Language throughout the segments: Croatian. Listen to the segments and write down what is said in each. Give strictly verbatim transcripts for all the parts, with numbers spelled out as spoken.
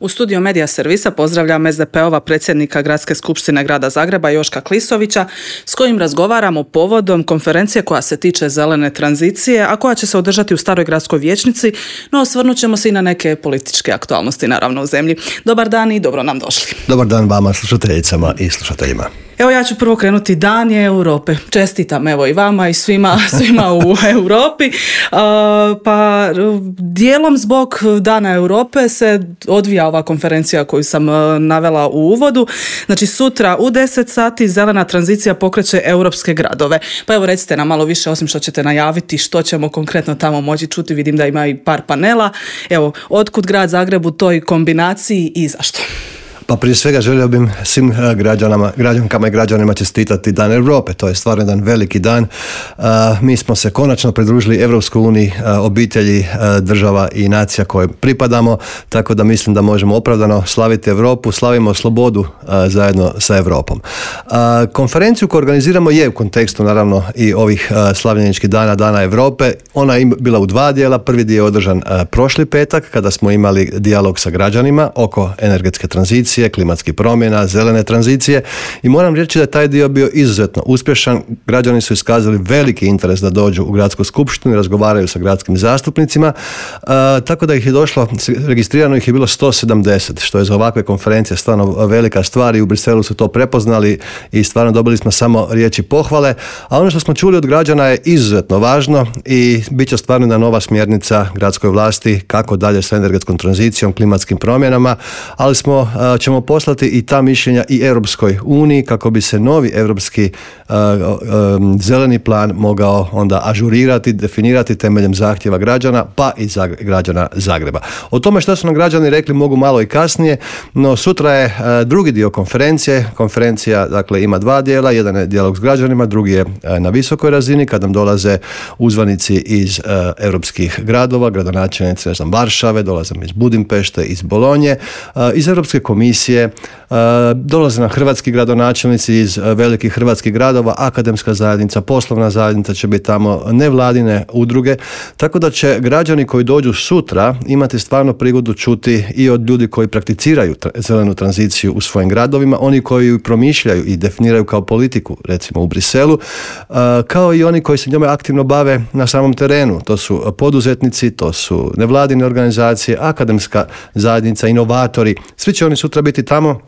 U studiju Medija servisa pozdravljam es de pe-ova predsjednika Gradske skupštine Grada Zagreba Joška Klisovića, s kojim razgovaramo povodom konferencije koja se tiče zelene tranzicije, a koja će se održati u Staroj gradskoj vijećnici, no osvrnut ćemo se i na neke političke aktualnosti naravno u zemlji. Dobar dan i dobro nam došli. Dobar dan vama, slušateljicama i slušateljima. Evo, ja ću prvo krenuti. Dan je Europe. Čestitam evo i vama i svima, svima u Europi. Uh, pa dijelom zbog Dana Europe se odvija ova konferencija koju sam uh, navela u uvodu. Znači sutra u deset sati zelena tranzicija pokreće europske gradove. Pa evo recite nam malo više, osim što ćete najaviti što ćemo konkretno tamo moći čuti. Vidim da ima i par panela. Evo, otkud Grad Zagreb u toj kombinaciji i zašto? Pa prije svega želio bih svim građanama, građankama i građanima čestitati Dan Europe. To je stvarno jedan veliki dan. Uh, mi smo se konačno pridružili Europskoj uniji, uh, obitelji uh, država i nacija koje pripadamo, tako da mislim da možemo opravdano slaviti Europu, slavimo slobodu uh, zajedno sa Europom. Uh, konferenciju koju organiziramo je u kontekstu naravno i ovih uh, slavljeničkih dana, Dana Europe. Ona je bila u dva dijela. Prvi dio je održan uh, prošli petak kada smo imali dijalog sa građanima oko energetske tranzicije, klimatskih promjena, zelene tranzicije, i moram reći da je taj dio bio izuzetno uspješan. Građani su iskazali veliki interes da dođu u Gradsku skupštinu i razgovaraju sa gradskim zastupnicima, uh, tako da ih je došlo, registrirano ih je bilo sto sedamdeset, što je za ovakve konferencije stvarno velika stvar, i u Briselu su to prepoznali i stvarno dobili smo samo riječi pohvale. A ono što smo čuli od građana je izuzetno važno i bit će stvarno jedna nova smjernica gradskoj vlasti kako dalje sa energetskom tranzicijom, klimatskim promjenama, ali smo uh, ćemo poslati i ta mišljenja i Europskoj uniji kako bi se novi europski uh, um, zeleni plan mogao onda ažurirati, definirati temeljem zahtjeva građana, pa i za građana Zagreba. O tome što su nam građani rekli mogu malo i kasnije, no sutra je uh, drugi dio konferencije. Konferencija dakle ima dva dijela, jedan je dijalog s građanima, drugi je uh, na visokoj razini kad nam dolaze uzvanici iz uh, europskih gradova, gradonačelnici, ne znam, Varšave, dolaze iz Budimpešte, iz Bolonje, uh, iz Europske komisije, Uh, dolaze nam hrvatski gradonačelnici iz uh, velikih hrvatskih gradova, akademska zajednica, poslovna zajednica će biti tamo, nevladine udruge, tako da će građani koji dođu sutra imati stvarno prigodu čuti i od ljudi koji prakticiraju tra- zelenu tranziciju u svojim gradovima, oni koji ju promišljaju i definiraju kao politiku, recimo u Briselu, uh, kao i oni koji se njome aktivno bave na samom terenu. To su poduzetnici, to su nevladine organizacije, akademska zajednica, inovatori. Svi će oni sutra biti tamo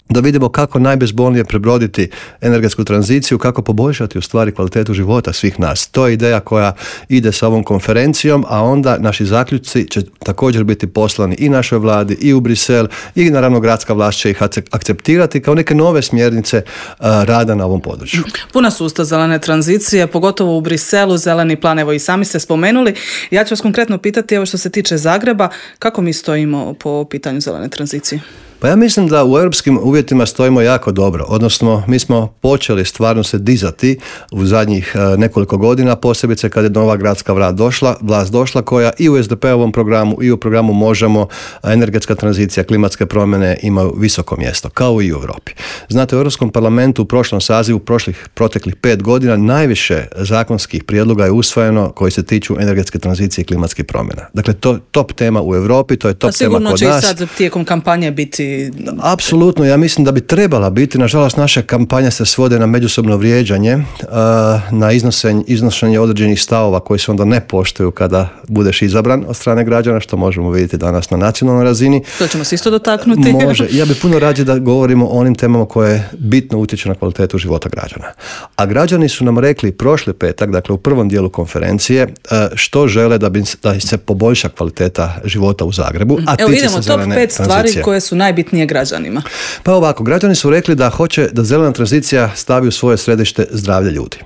da vidimo kako najbezbolnije prebroditi energetsku tranziciju, kako poboljšati u stvari kvalitetu života svih nas. To je ideja koja ide sa ovom konferencijom, a onda naši zaključci će također biti poslani i našoj vladi i u Brisel, i naravno gradska vlast će ih akceptirati kao neke nove smjernice uh, rada na ovom području. Puna su usta zelene tranzicije, pogotovo u Briselu, zeleni plan, evo i sami ste spomenuli. Ja ću vas konkretno pitati, evo što se tiče Zagreba, kako mi stojimo po pitanju zelene tranzicije? Pa ja mislim da u europskim uvjetima stojimo jako dobro, odnosno mi smo počeli stvarno se dizati u zadnjih nekoliko godina, posebice kad je nova gradska vlast došla, vlast došla koja i u es de pe-ovom programu i u programu Možemo, energetska tranzicija, klimatske promjene imaju visoko mjesto, kao i u Europi. Znate, u Europskom parlamentu u prošlom sazivu, prošlih proteklih pet godina, najviše zakonskih prijedloga je usvojeno koji se tiču energetske tranzicije i klimatskih promjena. Dakle, to top tema u Europi, to je top tema kod nas. Sigurno će i sad tijekom kampanje biti. Apsolutno, ja mislim da bi trebala biti. Nažalost, naše kampanje se svode na međusobno vrijeđanje, na iznošenje, iznošenje određenih stavova koji se onda ne poštuju kada budeš izabran od strane građana, što možemo vidjeti danas na nacionalnoj razini. To ćemo se isto dotaknuti. Može. Ja bih puno rađe da govorimo o onim temama koje bitno utječu na kvalitetu života građana. A građani su nam rekli prošli petak, dakle u prvom dijelu konferencije, što žele da bi da se poboljša kvaliteta života u Zagrebu. A evo idemo, top pet stvari koje su najbitnije nije građanima. Pa ovako, građani su rekli da hoće da zelena tranzicija stavi u svoje središte zdravlje ljudi.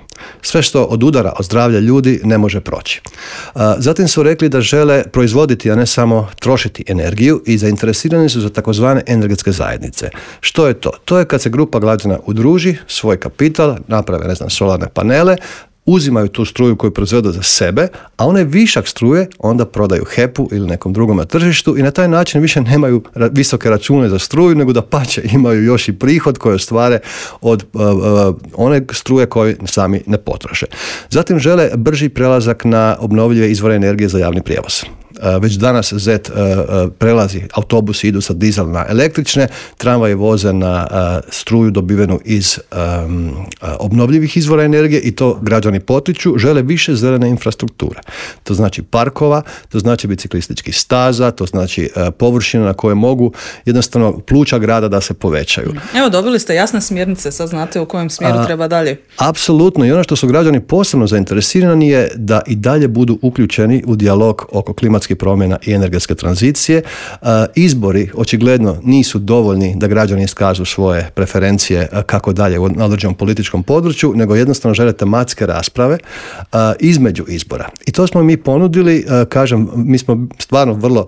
Sve što od udara od zdravlja ljudi ne može proći. Zatim su rekli da žele proizvoditi, a ne samo trošiti energiju, i zainteresirani su za takozvane energetske zajednice. Što je to? To je kad se grupa građana udruži, svoj kapital, naprave, ne znam, solarne panele, uzimaju tu struju koju proizvedu za sebe, a onaj višak struje onda prodaju hepu ili nekom drugom na tržištu i na taj način više nemaju visoke račune za struju, nego da pače imaju još i prihod koji ostvare od uh, uh, one struje koje sami ne potroše. Zatim žele brži prelazak na obnovljive izvore energije za javni prijevoz. Već danas zet prelazi, autobusi idu sa dizel na električne, tramvaji voze na struju dobivenu iz um, obnovljivih izvora energije i to građani potiču, žele više zelene infrastrukture. To znači parkova, to znači biciklističkih staza, to znači uh, površina na koje mogu jednostavno pluća grada da se povećaju. Evo, dobili ste jasne smjernice, sad znate u kojem smjeru A, treba dalje. Apsolutno, i ono što su građani posebno zainteresirani je da i dalje budu uključeni u dijalog oko klimatskih promjena i energetske tranzicije. Uh, izbori očigledno nisu dovoljni da građani iskažu svoje preferencije uh, kako dalje u određenom političkom području, nego jednostavno žele tematske rasprave uh, između izbora. I to smo mi ponudili, uh, kažem, mi smo stvarno vrlo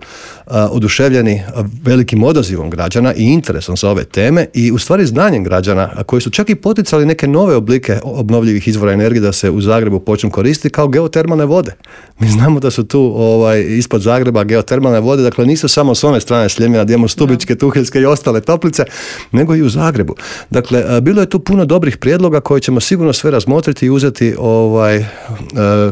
uh, oduševljeni uh, velikim odazivom građana i interesom za ove teme i u stvari znanjem građana uh, koji su čak i poticali neke nove oblike obnovljivih izvora energije da se u Zagrebu počnu koristiti kao geotermalne vode. Mi znamo da su tu ovaj, ispod Zagreba geotermalne vode, dakle nisu samo s one strane Sljemena gdje imamo Stubičke, Tuheljske i ostale toplice, nego i u Zagrebu. Dakle, uh, bilo je tu puno dobrih prijedloga koje ćemo sigurno sve razmotriti i uzeti ovaj, uh,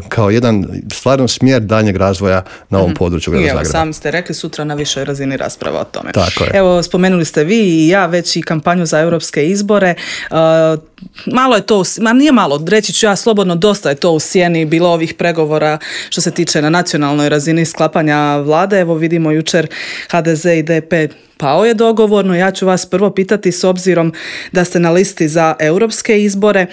kao jedan stvarno smjer daljnjeg razvoja na ovom području grada Zagreba. Evo, sami ste rekli, sutra na višoj razini rasprava o tome. Tako je. Evo, spomenuli ste vi i ja već i kampanju za europske izbore. Uh, malo je to, ma nije malo, reći ću ja slobodno, dosta je to u sjeni bilo ovih pregovora što se tiče na nacionalnoj razini sklapanja vlade. Evo vidimo jučer ha de ze i de pe pao je dogovorno. Ja ću vas prvo pitati s obzirom da ste na listi za europske izbore.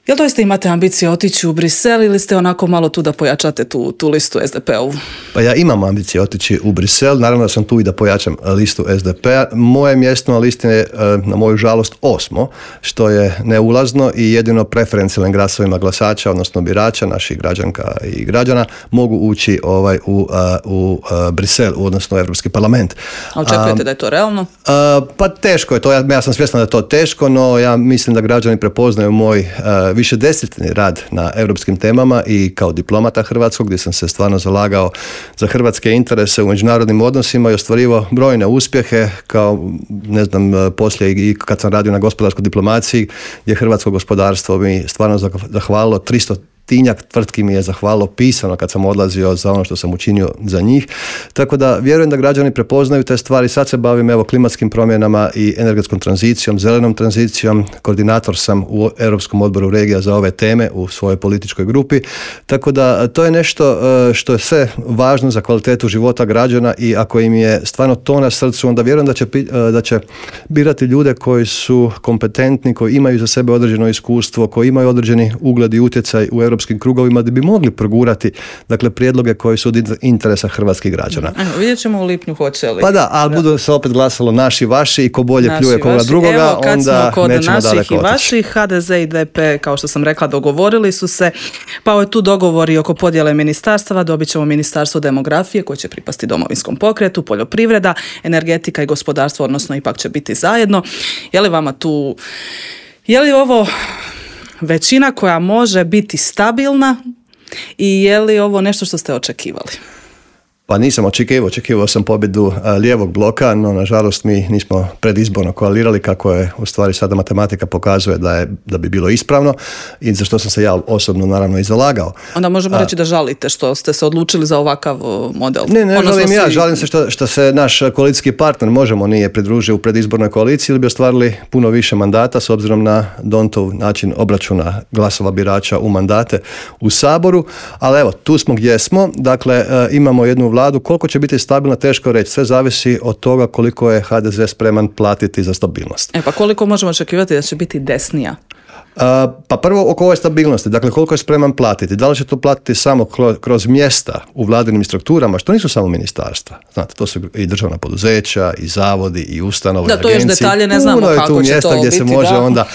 Jel doista imate ambicije otići u Brisel ili ste onako malo tu da pojačate tu, tu listu es de pe-ovu? Pa ja imam ambicije otići u Brisel, naravno da sam tu i da pojačam listu es de pe-a. Moje mjesto na listi je, na moju žalost, osmo, što je neulazno i jedino preferencijalnim glasovima glasača, odnosno birača, naših građanka i građana, mogu ući ovaj, u, u, u Brisel, odnosno Europski parlament. A očekujete a, da je to realno? A, pa teško je to, ja, ja sam svjestan da je to teško, no ja mislim da građani prepoznaju moj više desetljetni rad na europskim temama i kao diplomata hrvatskog, gdje sam se stvarno zalagao za hrvatske interese u međunarodnim odnosima i ostvarivao brojne uspjehe, kao, ne znam, poslije i kad sam radio na gospodarskoj diplomaciji, gdje hrvatsko gospodarstvo mi stvarno zahvalilo tristo tinjak tvrtki mi je zahvalilo pisano kad sam odlazio za ono što sam učinio za njih. Tako da vjerujem da građani prepoznaju te stvari. Sad se bavim evo klimatskim promjenama i energetskom tranzicijom, zelenom tranzicijom. Koordinator sam u Europskom odboru regija za ove teme u svojoj političkoj grupi. Tako da to je nešto što je sve važno za kvalitetu života građana i ako im je stvarno to na srcu, onda vjerujem da će, da će birati ljude koji su kompetentni, koji imaju za sebe određeno iskustvo, koji imaju određeni ugled i utjecaj u europskim krugovima da bi mogli progurati, dakle, prijedloge koji su od interesa hrvatskih građana. Evo, vidjet ćemo u lipnju hoće li. Pa da, ali budu se opet glasalo naši, vaši i ko bolje naši, pljuje koga drugoga, evo, kad onda smo kod nećemo naših daleko i vaših, ha de ze i de pe, kao što sam rekla, dogovorili su se, pa je tu dogovori oko podjele ministarstava, dobit ćemo ministarstvo demografije koje će pripasti Domovinskom pokretu, poljoprivreda, energetika i gospodarstvo, odnosno ipak će biti zajedno. Je li vama tu, je li ovo većina koja može biti stabilna i je li ovo nešto što ste očekivali? Pa nisam očekivao, očekivao sam pobjedu lijevog bloka, no nažalost mi nismo predizborno koalirali kako je u stvari sada matematika pokazuje da je da bi bilo ispravno i za što sam se ja osobno naravno i zalagao. Onda možemo reći da žalite što ste se odlučili za ovakav model. Ne, ne žalim ja, žalim se što, što se naš koalicijski partner Možemo nije pridružio u predizbornoj koaliciji ili bi ostvarili puno više mandata s obzirom na Dontov način obračuna glasova birača u mandate u Saboru, ali evo, tu smo gdje smo, dakle imamo jednu vladu, koliko će biti stabilna, teško reći. Sve zavisi od toga koliko je ha de ze spreman platiti za stabilnost. E pa koliko možemo očekivati da će biti desnija? Uh, pa prvo oko ove stabilnosti, dakle koliko je spreman platiti. Da li će to platiti samo kroz mjesta u vladinim strukturama, što nisu samo ministarstva. Znate, to su i državna poduzeća, i zavodi, i ustanove, da, to još detalje ne znamo kako će to biti. Puno je tu mjesta gdje se može da. onda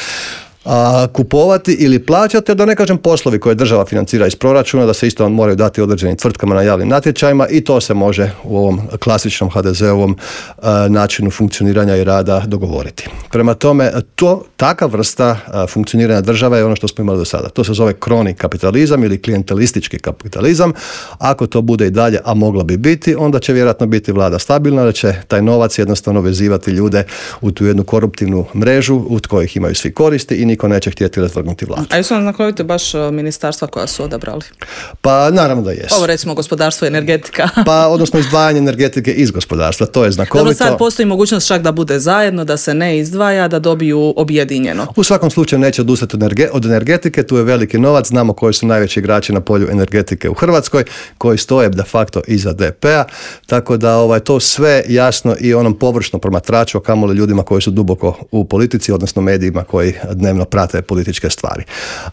A, kupovati ili plaćati, da ne kažem poslovi koje država financira iz proračuna, da se isto moraju dati određenim tvrtkama na javnim natječajima i to se može u ovom klasičnom ha de ze-ovom a, načinu funkcioniranja i rada dogovoriti. Prema tome, to, takav vrsta a, funkcioniranja države je ono što smo imali do sada. To se zove kroni kapitalizam ili klijentelistički kapitalizam. Ako to bude i dalje, a moglo bi biti, onda će vjerojatno biti vlada stabilna, da će taj novac jednostavno vezivati ljude u tu jednu koruptivnu mrežu u kojih imaju svi koristi i niko niko neće htjeti razvrgnuti vladu. A jesu vam znakovite baš ministarstva koja su odabrali? Pa naravno da jesu. Ovo recimo gospodarstvo i energetika. Pa odnosno izdvajanje energetike iz gospodarstva, to je znakovito. Dobro, sad postoji mogućnost čak da bude zajedno, da se ne izdvaja, da dobiju objedinjeno. U svakom slučaju neće odustati od energetike, tu je veliki novac, znamo koji su najveći igrači na polju energetike u Hrvatskoj, koji stoje de facto iza D P-a, tako da ovaj, to sve jasno i onom površno promatraču, a kamoli ljudima koji su duboko u politici, odnosno medijima koji dnevno prate političke stvari.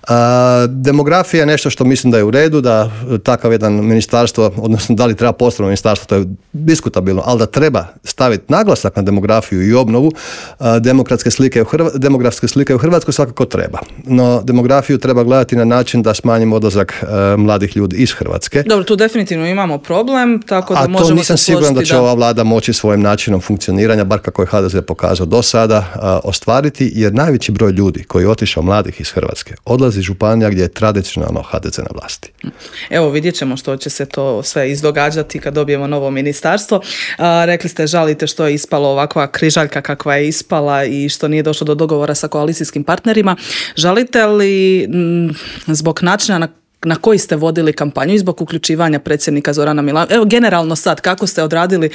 A, demografija je nešto što mislim da je u redu, da takav jedan ministarstvo, odnosno da li treba posebno ministarstvo, to je diskutabilno, ali da treba staviti naglasak na demografiju i obnovu a, demokratske slike u Hrva, demografske slike u Hrvatskoj svakako treba. No, demografiju treba gledati na način da smanjimo odlazak a, mladih ljudi iz Hrvatske. Dobro, tu definitivno imamo problem, tako da a možemo se složiti. A to nisam siguran da će da... ova vlada moći svojim načinom funkcioniranja, bar kako je H D Z pokazao do sada, a, ostvariti, jer najveći broj ljudi koji je otišao mladih iz Hrvatske odlazi iz županija gdje je tradicionalno H D Z na vlasti. Evo, vidjet ćemo što će se to sve izdogađati kad dobijemo novo ministarstvo. A, rekli ste, žalite što je ispalo ovakva križaljka kakva je ispala i što nije došlo do dogovora sa koalicijskim partnerima. Žalite li m, zbog načina na na koji ste vodili kampanju i zbog uključivanja predsjednika Zorana Milanovića? Evo, generalno sad, kako ste odradili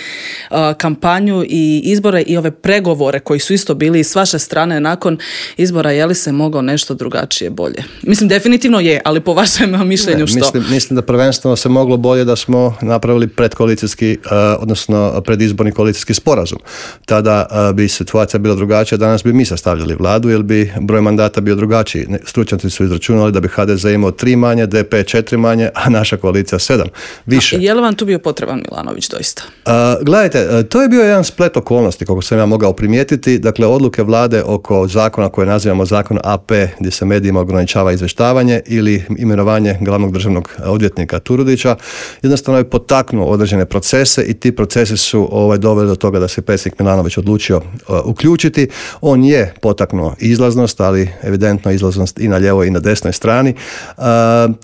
uh, kampanju i izbore i ove pregovore koji su isto bili s vaše strane nakon izbora, je li se moglo nešto drugačije bolje? Mislim, definitivno je, ali po vašem mišljenju ne, što? Mislim, mislim da prvenstveno se moglo bolje da smo napravili predkoalicijski, uh, odnosno predizborni koalicijski sporazum. Tada uh, bi situacija bila drugačija, danas bi mi sastavljali vladu, jer bi broj mandata bio drugačiji. Stručnjaci su izračunali da bi H D Z imao tri manje, D P četiri manje, a naša koalicija sedam. Više. A je li vam tu bio potreban Milanović doista? Uh, gledajte, to je bio jedan splet okolnosti, kako sam ja mogao primijetiti. Dakle, odluke vlade oko zakona koje nazivamo zakon A P, gdje se medijima ograničava izvještavanje, ili imenovanje glavnog državnog odvjetnika Turudića, jednostavno je potaknuo određene procese i ti procesi su ovaj, doveli do toga da se predsjednik Milanović odlučio uh, uključiti. On je potaknuo izlaznost, ali evidentno izlaznost i na lijevoj i na desnoj strani. Uh,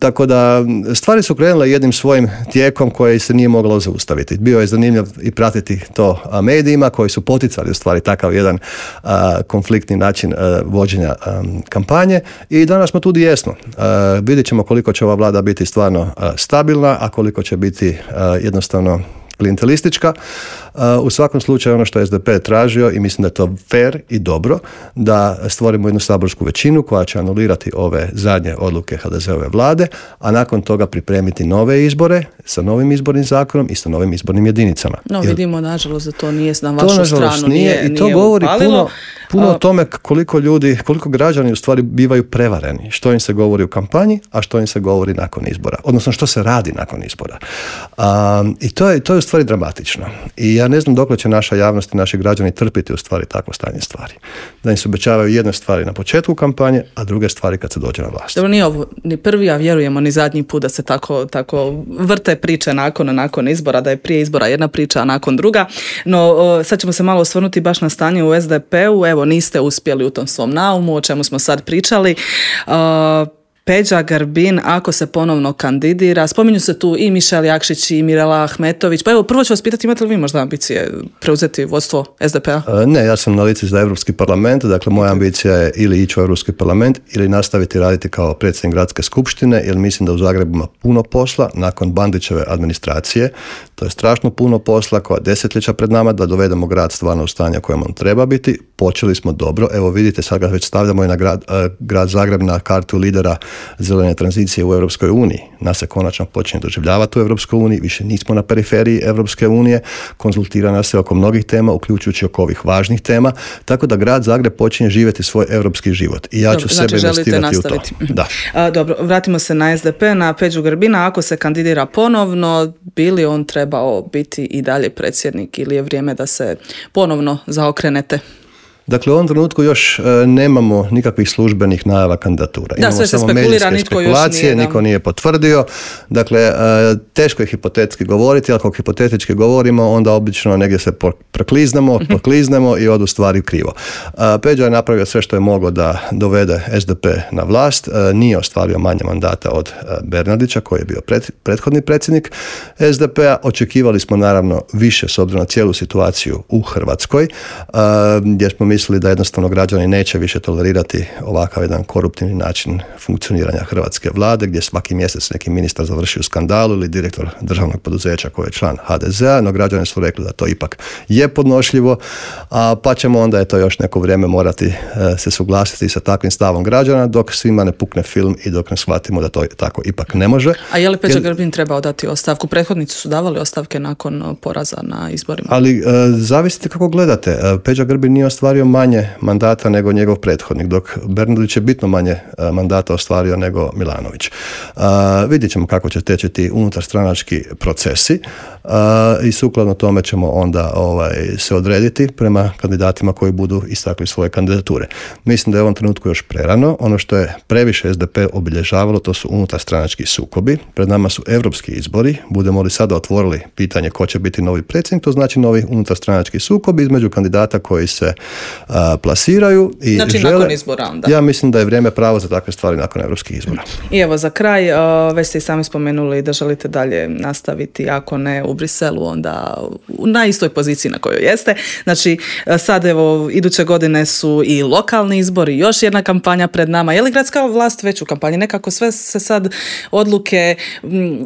Tako da stvari su krenule jednim svojim tijekom koje se nije moglo zaustaviti. Bio je zanimljiv i pratiti to medijima koji su poticali u stvari takav jedan a, konfliktni način a, vođenja a, kampanje i danas smo tu gdje jesmo. A, vidjet ćemo koliko će ova vlada biti stvarno a, stabilna, a koliko će biti a, jednostavno klijentelistička. U svakom slučaju ono što je S D P tražio i mislim da je to fair i dobro, da stvorimo jednu saborsku većinu koja će anulirati ove zadnje odluke H D Z-ove vlade, a nakon toga pripremiti nove izbore sa novim izbornim zakonom i sa novim izbornim jedinicama. No, Jer vidimo nažalost da to nije na vašu stranu, nije, nije, i to nije govori upalilo. puno, puno o tome koliko ljudi, koliko građani u stvari bivaju prevareni, što im se govori u kampanji, a što im se govori nakon izbora, odnosno što se radi nakon izbora. Um, I to je, to je u stvari dramatično. I ja ne znam dokle će naša javnost i naši građani trpiti u stvari takvo stanje stvari. Da im se obećavaju jedne stvari na početku kampanje, a druge stvari kad se dođe na vlast. Dobro, nije ovo ni prvi, a vjerujemo ni zadnji put da se tako, tako vrte priče nakon, nakon izbora, da je prije izbora jedna priča, a nakon druga. No, sad ćemo se malo osvrnuti baš na stanje u S D P-u. Evo, niste uspjeli u tom svom naumu, o čemu smo sad pričali. Uh, Peđa Grbin, ako se ponovno kandidira, spominju se tu i Mišel Jakšić i Mirela Ahmetović. Pa evo, prvo ću vas pitati, imate li vi možda ambicije preuzeti vodstvo S D P-a? Ne, ja sam na listi za Europski parlament, dakle moja ambicija je ili ići u Europski parlament ili nastaviti raditi kao predsjednik gradske skupštine, jer mislim da u Zagrebu ima puno posla nakon Bandićeve administracije. To je strašno puno posla koja desetljeća pred nama da dovedemo grad stvarno u stanje kojem on treba biti. Počeli smo dobro, evo vidite, sad ga već stavljamo i na grad, uh, grad Zagreb na kartu lidera zelene tranzicije u Europskoj uniji. Nas se konačno počinje doživljavati u Europskoj uniji, više nismo na periferiji Europske unije, konzultira nas se oko mnogih tema, uključujući oko ovih važnih tema, tako da grad Zagreb počinje živjeti svoj europski život. I ja dobro, ću znači sebe investirati u to. Da. A, dobro, vratimo se na S D P, na Peđu Grbina. Ako se kandidira ponovno, bi li on trebao biti i dalje predsjednik ili je vrijeme da se ponovno zaokrenete? Dakle, u ovom trenutku još e, nemamo nikakvih službenih najava kandidatura. Da, imamo sve se samo spekulira, nitko još nije. Da. Niko nije potvrdio. Dakle, e, teško je hipotetski govoriti, ali ako hipotetički govorimo, onda obično negdje se prekliznemo, pokliznemo i odu stvari krivo. E, Peđa je napravio sve što je moglo da dovede S D P na vlast. E, nije ostvario manje mandata od e, Bernardića, koji je bio pred, prethodni predsjednik S D P-a. Očekivali smo naravno više s obzirom na cijelu situaciju u Hrvatskoj, e, gdje smo mi mislili da jednostavno građani neće više tolerirati ovakav jedan koruptivni način funkcioniranja hrvatske vlade, gdje svaki mjesec neki ministar završi u skandalu ili direktor državnog poduzeća koji je član ha de zea, no građani su rekli da to ipak je podnošljivo, a pa ćemo onda eto još neko vrijeme morati e, se suglasiti sa takvim stavom građana dok svima ne pukne film i dok ne shvatimo da to tako ipak ne može. A je li Peđa Grbin trebao dati ostavku? Prethodnici su davali ostavke nakon poraza na izborima. Ali e, zavisite kako gledate. E, Peđa Grbin nije ostvario manje mandata nego njegov prethodnik, dok Bernardić je bitno manje e, mandata ostvario nego Milanović. E, vidjet ćemo kako će teći ti unutarstranački procesi e, i sukladno tome ćemo onda ovaj, se odrediti prema kandidatima koji budu istakli svoje kandidature. Mislim da je u ovom trenutku još prerano. Ono što je previše es de pe obilježavalo, to su unutarstranački sukobi. Pred nama su europski izbori. Budemo li sada otvorili pitanje ko će biti novi predsjednik, to znači novi unutarstranački sukob između kandidata koji se a, plasiraju i znači žele, nakon izbora onda. Ja mislim da je vrijeme pravo za takve stvari nakon europskih izbora. I evo za kraj, već ste i sami spomenuli da želite dalje nastaviti, ako ne u Briselu, onda na istoj poziciji na kojoj jeste. Znači sad evo iduće godine su i lokalni izbori, još jedna kampanja pred nama. Je li gradska vlast već u kampanji? Nekako sve se sad odluke,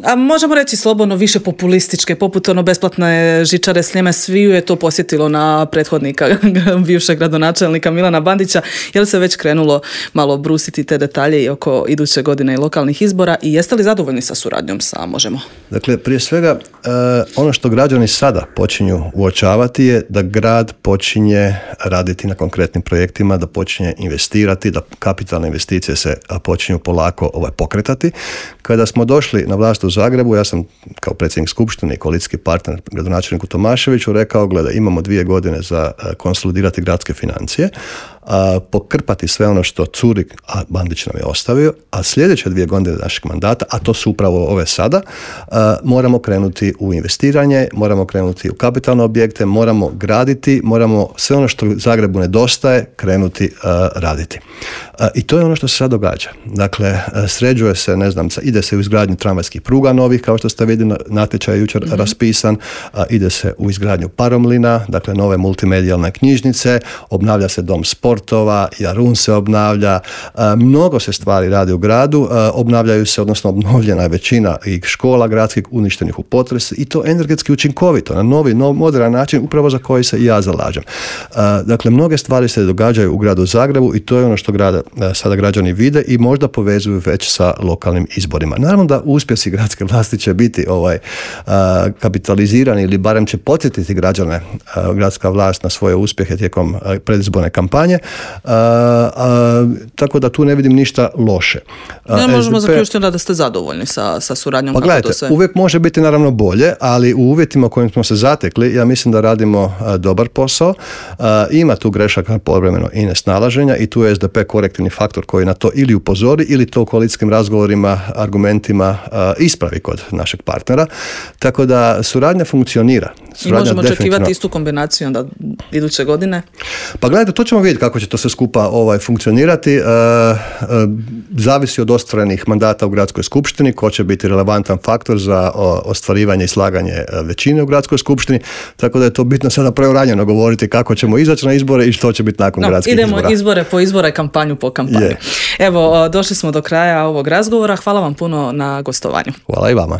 a možemo reći slobodno više populističke, poput ono besplatne žičare Sljeme, sviju je to posjetilo na prethodnika bivšeg gradonačelnika Milana Bandića. Je li se već krenulo malo brusiti te detalje i oko iduće godine i lokalnih izbora i jeste li zadovoljni sa suradnjom sa Možemo? Dakle, prije svega ono što građani sada počinju uočavati je da grad počinje raditi na konkretnim projektima, da počinje investirati, da kapitalne investicije se počinju polako ovaj, pokretati. Kada smo došli na vlast u Zagrebu, ja sam kao predsjednik skupštine i koalicijski partner gradonačelniku Tomaševiću rekao, gleda, imamo dvije godine za konsolidirati gradske financije, a, pokrpati sve ono što curi, a Bandić nam je ostavio, a sljedeće dvije godine našeg mandata, a to su upravo ove sada, a, moramo krenuti u investiranje, moramo krenuti u kapitalne objekte, moramo graditi, moramo sve ono što Zagrebu nedostaje krenuti a, raditi. A, I to je ono što se sad događa. Dakle, a, sređuje se, ne znam, ide se u izgradnju tramvajskih pruga novih, kao što ste vidjeli, natječaj je jučer mm-hmm. raspisan, a, ide se u izgradnju paromlina, dakle nove multimedijalne knjižnice, obnavlja se dom sportova, Jarun se obnavlja, a, mnogo se stvari radi u gradu, a, obnavljaju se, odnosno obnovljena je većina i škola gradskih uništenih u potresu i to energetski učinkovito, na novi, nov, modern način, upravo za koji se i ja zalažem. A, dakle, mnoge stvari se događaju u gradu Zagrebu i to je ono što grada, a, sada građani vide i možda povezuju već sa lokalnim izborima. Naravno da uspjesi gradske vlasti će biti ovaj, a, kapitalizirani ili barem će podsjetiti građane a, gradska vlast na svoje uspjehe tijekom a, predizborne kampanje, a, a, tako da tu ne vidim ništa loše. A, ne možemo es de pe... zaključiti da ste zadovoljni sa, sa suradnjom. Pa gledajte, sve... uvijek može biti naravno bolje, ali u uvjetima u kojim smo se zatekli, ja mislim da radimo a, dobar posao. A, ima tu grešaka povremeno i nesnalaženja i tu je es de pe korektivni faktor koji na to ili upozori ili to u koalicijskim razgovorima, argumentima a, ispravi kod našeg partnera. Tako da suradnja funkcionira. Suradnja I možemo definitivno... očekivati istu kombinaciju onda iduće godine? Pa gledajte, to ćemo vidjeti kako će to sve skupa ovaj, funkcionirati. E, e, zavisi od ostvarenih mandata u gradskoj skupštini, ko će biti relevantan faktor za o, ostvarivanje i slaganje većine u gradskoj skupštini, tako da je to bitno sada preuranjeno govoriti kako ćemo izaći na izbore i što će biti nakon no, gradskih idemo izbora. Idemo izbore po izbore, kampanju po kampanju. Yeah. Evo, došli smo do kraja ovog razgovora. Hvala vam puno na gostovanju. Hvala i vama.